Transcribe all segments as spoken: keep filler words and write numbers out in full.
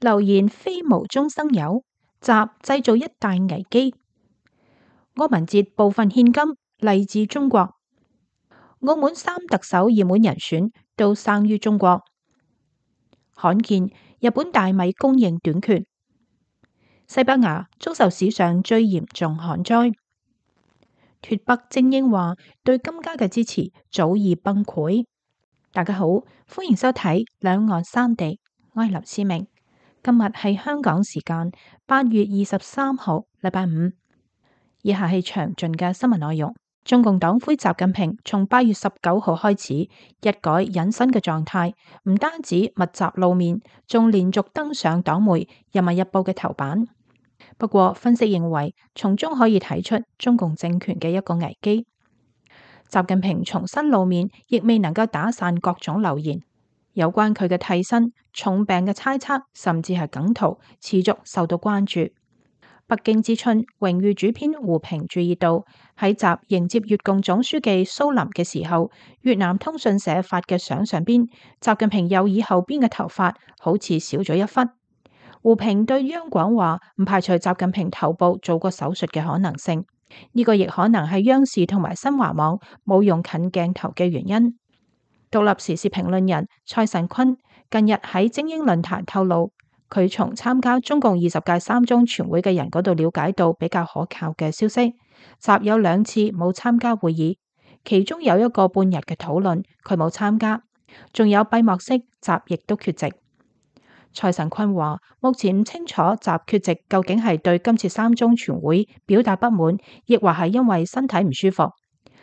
流言非無中生有，習製造一大危機。柯文哲部分獻金嚟自中國。澳門三特首熱門人選都生於中國。罕見日本大米供應短缺。西班牙遭受史上最嚴重旱災。脫北精英話對金家嘅支持早已崩潰。大家好，歡迎收睇兩岸三地，我係劉思明。今日係香港時間八月二十三號，禮拜五。以下係詳盡嘅新聞內容。中共黨魁習近平從八月十九號開始一改隱身嘅狀態，唔單止密集露面，仲連續登上黨媒《人民日報》嘅頭版。不過，分析認為，從中可以睇出中共政權嘅一個危機。習近平重新露面，亦未能夠打散各種流言，有關佢嘅替身、重病嘅猜測，甚至係梗圖，持續受到關注。北京之春榮譽主編胡平注意到，喺習迎接越共總書記蘇林嘅時候，越南通訊社發嘅相上邊，習近平右耳後邊嘅頭髮好似少咗一忽。胡平對央廣話，唔排除習近平頭部做過手術嘅可能性，呢、這個亦可能係央視同埋新華網冇用近鏡頭嘅原因。獨立時事評論人蔡慎坤近日喺精英論壇透露，佢從參加中共二十屆三中全會嘅人嗰度了解到比較可靠嘅消息。習有兩次冇參加會議，其中有一個半日嘅討論，佢冇參加，仲有閉幕式，習亦都缺席。蔡慎坤話：目前唔清楚習缺席究竟係對今次三中全會表達不滿，亦或係因為身體唔舒服，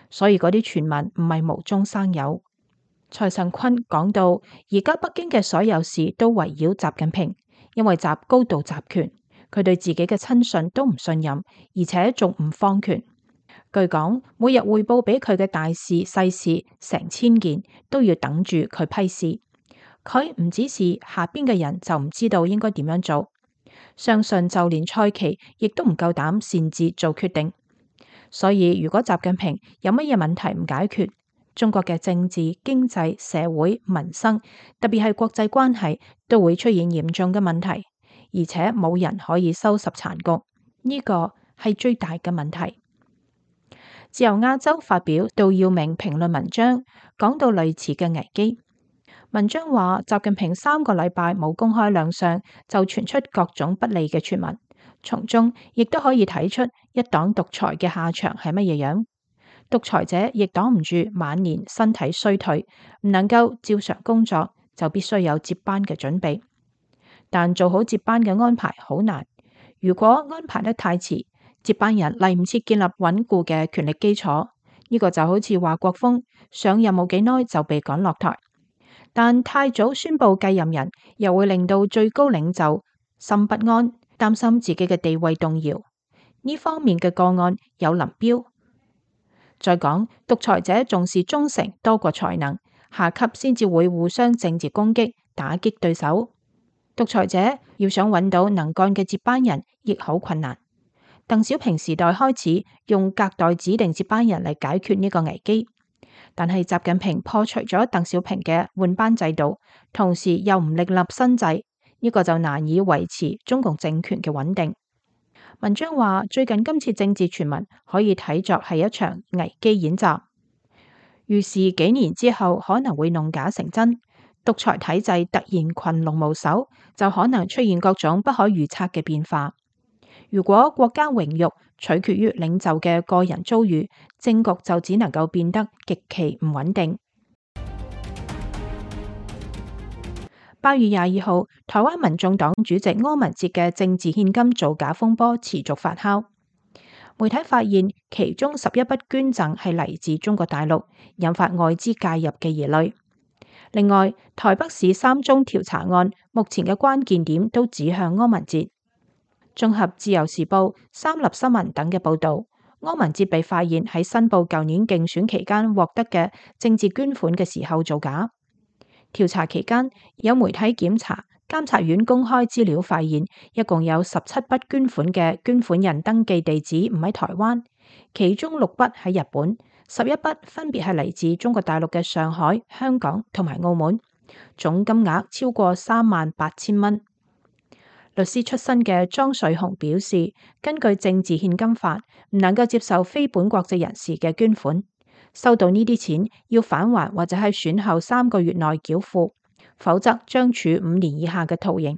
所以嗰啲傳聞唔係無中生有。蔡慎坤講到，而家北京嘅所有事都圍繞習近平。因為習高度集權，佢對自己嘅親信都唔信任，而且仲唔放權。據講，每日匯報俾佢嘅大事細事成千件，都要等住佢批示。佢唔指示下邊嘅人就唔知道應該點樣做。相信就連蔡奇亦都唔夠膽擅自做決定。所以如果習近平有乜嘢問題唔解決，中國嘅政治、經濟、社會、民生，特別係國際關係，都會出現嚴重嘅問題，而且冇人可以收拾殘局，呢個係最大嘅問題。自由亞洲發表杜耀明評論文章，講到類似嘅危機。文章話，習近平三個禮拜冇公開亮相，就傳出各種不利嘅傳聞，從中亦都可以睇出一黨獨裁嘅下場係乜嘢樣。獨裁者亦擋唔住晚年身體衰退，唔能夠照常工作，就必須有接班嘅準備。但做好接班嘅安排好難，如果安排得太遲，接班人嚟唔切建立穩固嘅權力基礎，呢、這個就好似華國鋒上任冇幾耐就被趕落台。但太早宣布繼任人，又會令到最高領袖心不安，擔心自己嘅地位動搖。呢方面嘅個案有林彪。再講，獨裁者重視忠誠多過才能，下級先至會互相政治攻擊，打擊對手。獨裁者要想揾到能幹嘅接班人，亦好困難。鄧小平時代開始用隔代指定接班人嚟解決呢個危機，但係習近平破除咗鄧小平嘅換班制度，同時又唔另立新制，呢、這個就難以維持中共政權嘅穩定。文章話，最近今次政治傳聞可以睇作係一場危機演習，預示幾年之後可能會弄假成真，獨裁體制突然群龍無首，就可能出現各種不可預測嘅變化。如果國家榮辱取決於領袖嘅個人遭遇，政局就只能夠變得極其唔穩定。八月廿二號，台灣民眾黨主席柯文哲嘅政治獻金造假風波持續發酵。媒體發現其中十一筆捐贈係嚟自中國大陸，引發外資介入嘅疑慮。另外，台北市三中調查案目前嘅關鍵點都指向柯文哲。綜合自由時報、三立新聞等嘅報導，柯文哲被發現喺申報舊年競選期間獲得嘅政治捐款嘅時候造假。調查期間，有媒體檢查監察院公開資料，發現一共有十七筆捐款嘅捐款人登記地址唔喺台灣，其中六筆喺日本，十一筆分別係嚟自中國大陸嘅上海、香港同埋澳門，總金額超過三萬八千蚊。律師出身嘅莊瑞雄表示，根據政治獻金法，唔能夠接受非本國籍人士嘅捐款，收到呢啲錢要返還或者喺選後三個月內繳付，否則將處五年以下嘅徒刑。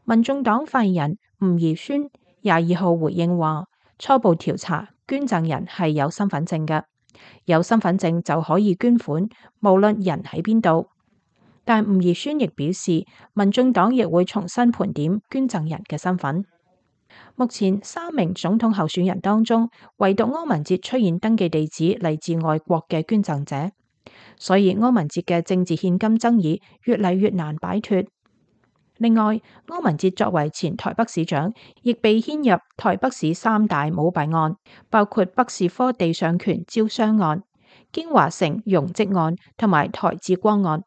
民眾黨發言人吳怡宣廿二號回應話，初步調查捐贈人係有身份證嘅，有身份證就可以捐款，無論人喺邊度。但吳怡宣亦表示，民眾黨亦會重新盤點捐贈人嘅身份。目前三名總統候選人當中，唯獨柯文哲出現登記地址嚟自外國嘅捐贈者，所以柯文哲嘅政治獻金爭議越嚟越難擺脫。另外，柯文哲作為前台北市長，亦被牽入台北市三大舞弊案，包括北士科地上權招商案、京華城容積案同埋台智光案。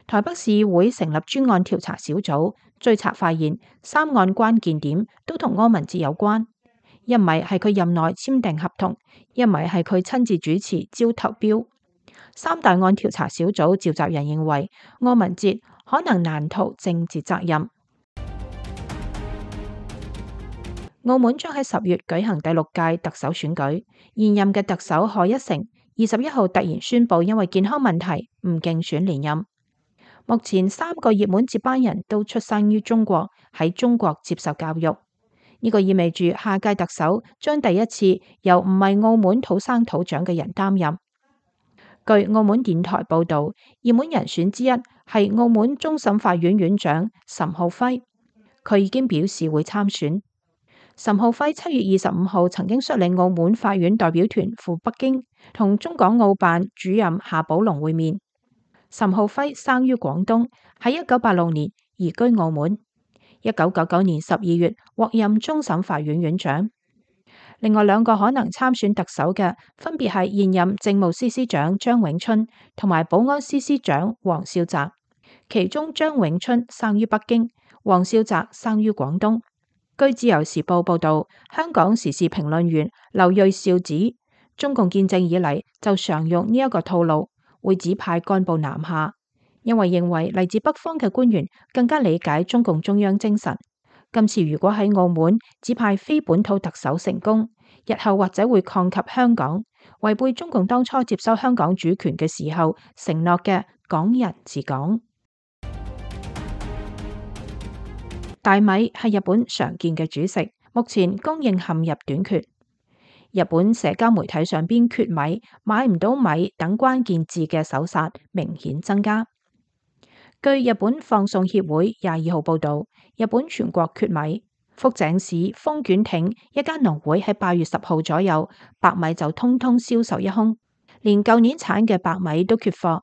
台北市議會成立專案調查小組，追查發現三案關鍵點都同柯文哲有關，一唔係係佢任內簽訂合同，一唔係係佢親自主持招投標。三大案調查小組召集人認為，柯文哲可能難逃政治責任。澳門將喺十月舉行第六屆特首選舉，現任嘅特首賀一誠二十一號突然宣布，因為健康問題唔競選連任。目前三個熱門接班人都出生於中國，喺中國接受教育，呢個意味住下屆特首將第一次由唔係澳門土生土長嘅人擔任。據澳門電台報道，熱門人選之一係澳門終審法院院長岑浩輝，佢已經表示會參選。岑浩輝七月二十五號曾經率領澳門法院代表團赴北京，同中港澳辦主任夏寶龍會面。岑浩輝生於廣東，喺一九八六年移居澳門，一九九九年十二月獲任終審法院院長。另外兩個可能參選特首嘅，分別係現任政務司司長張永春同埋保安司司長黃少澤，其中張永春生於北京，黃少澤生於廣東。據自由時報報道，香港時事評論員劉銳紹指，中共建政以嚟就常用呢一個套路，會指派幹部南下，因為認為嚟自北方嘅官員更加理解中共中央精神。今次如果喺澳門指派非本土特首成功，日後或者會抗及香港，違背中共當初接收香港主權嘅時候承諾嘅港人治港。大米係日本常見嘅主食，目前供應陷入短缺。日本社交媒體上邊缺米、買唔到米等關鍵字嘅搜索明顯增加。據日本放送協會廿二號報道，日本全國缺米，福井市豐卷町一間農會喺八月十號左右，白米就通通銷售一空，連舊年產嘅白米都缺貨。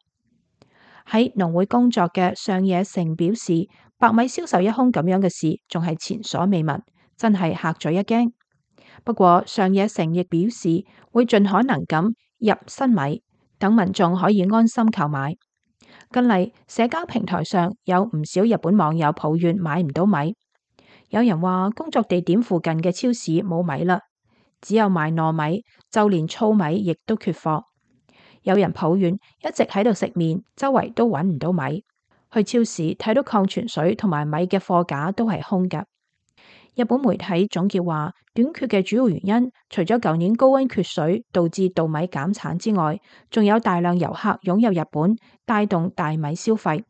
喺農會工作嘅上野誠表示，白米銷售一空咁樣嘅事仲係前所未聞，真係嚇咗一驚。不過上野誠亦表示會盡可能咁入新米，等民眾可以安心購買。近嚟社交平台上有唔少日本網友抱怨買唔到米，有人話工作地點附近嘅超市冇米啦，只有賣糯米，就連糙米亦都缺貨。有人抱怨一直喺度食麵，周圍都揾唔到米。去超市睇到礦泉水同埋米嘅貨架都係空㗎。日本媒體總結話，短缺嘅主要原因除咗舊年高溫缺水導致稻米減產之外，仲有大量遊客湧入日本，帶動大米消費，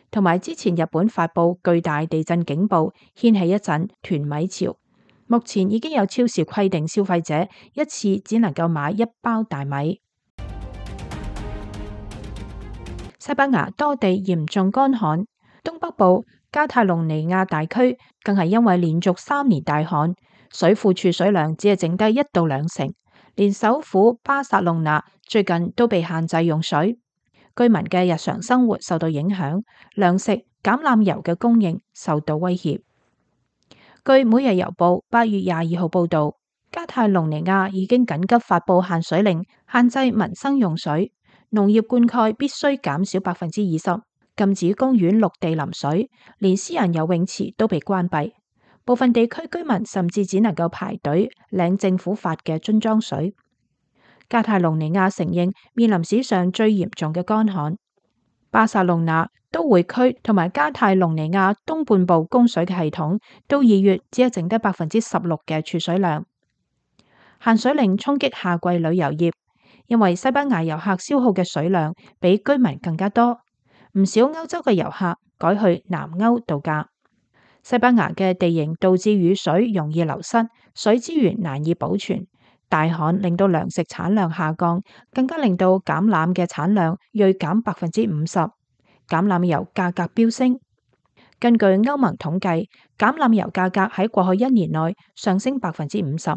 同埋之前日本發布巨大地震警報，掀起一陣囤米潮。目前已經有超市規定消費者一次只能夠買一包大米。西班牙多地嚴重乾旱，東北部加泰隆尼亞大區更係因為連續三年大旱，水庫儲水量只係剩低一到兩成，連首府巴塞隆納最近都被限制用水，居民嘅日常生活受到影響，糧食、橄欖油嘅供應受到威脅。據每日郵報八月廿二號報道，加泰隆尼亞已經緊急發布限水令，限制民生用水。農業灌溉必須減少百分之二十，禁止公園陸地淋水，連私人游泳池都被關閉。部分地區居民甚至只能夠排隊領政府發嘅樽裝水。加泰隆尼亞承認面臨史上最嚴重嘅乾旱。巴塞隆納都會區同埋加泰隆尼亞東半部供水嘅系統，到二月只係剩低百分之十六嘅儲水量。限水令衝擊夏季旅遊業，因為西班牙遊客消耗嘅水量比居民更加多，唔少歐洲嘅遊客改去南歐度假。西班牙嘅地形導致雨水容易流失，水資源難以保存。大旱令到糧食產量下降，更加令到橄欖嘅產量銳減百分之五十，橄欖油價格飆升。根據歐盟統計，橄欖油價格喺過去一年內上升百分之五十。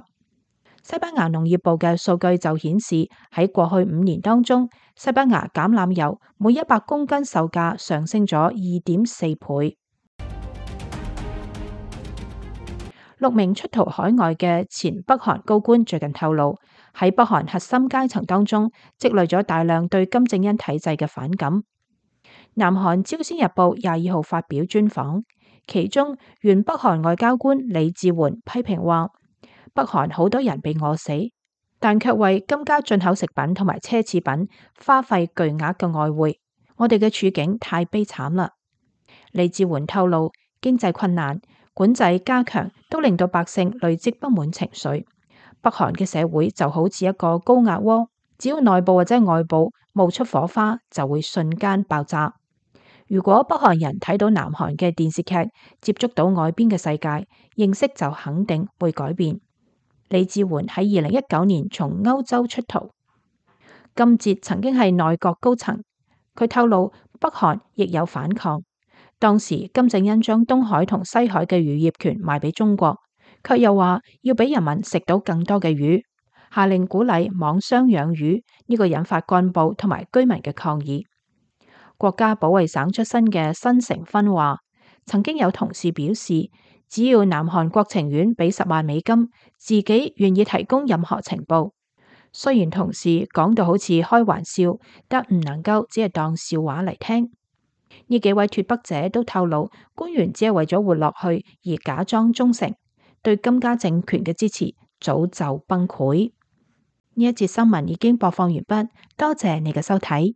西班牙農業部嘅數據就顯示，喺過去五年當中，西班牙橄欖油每一百公斤售價上升咗二點四倍。六名出逃海外嘅前北韓高官最近透露，喺北韓核心階層當中積累咗大量對金正恩體制嘅反感。南韓朝鮮日報廿二號發表專訪，其中原北韓外交官李志媛批評話，北韓好多人被餓死，但卻為金家進口食品同埋奢侈品花費巨額嘅外匯，我哋嘅處境太悲慘啦。李志媛透露，經濟困難、管制加強都令到百姓累積不滿情緒。北韓嘅社會就好似一個高壓鍋，只要內部或者外部冒出火花，就會瞬間爆炸。如果北韓人睇到南韓嘅電視劇，接觸到外邊嘅世界，認識就肯定會改變。李志媛喺二零一九年從歐洲出逃，金哲曾經係內閣高層，佢透露北韓亦有反抗。當時金正恩將東海同西海嘅漁業權賣俾中國，卻又話要俾人民食到更多嘅魚，下令鼓勵網箱養魚，呢個引發幹部同埋居民嘅抗議。國家保衛省出身嘅申成勳話，曾經有同事表示，只要南韓國情院俾十萬美金，自己願意提供任何情報。雖然同事講到好似開玩笑，但唔能夠只係當笑話嚟聽。呢幾位脫北者都透露，官員只係為咗活落去而假裝忠誠，對金家政權嘅支持早就崩潰。呢一節新聞已經播放完畢，多謝你嘅收睇。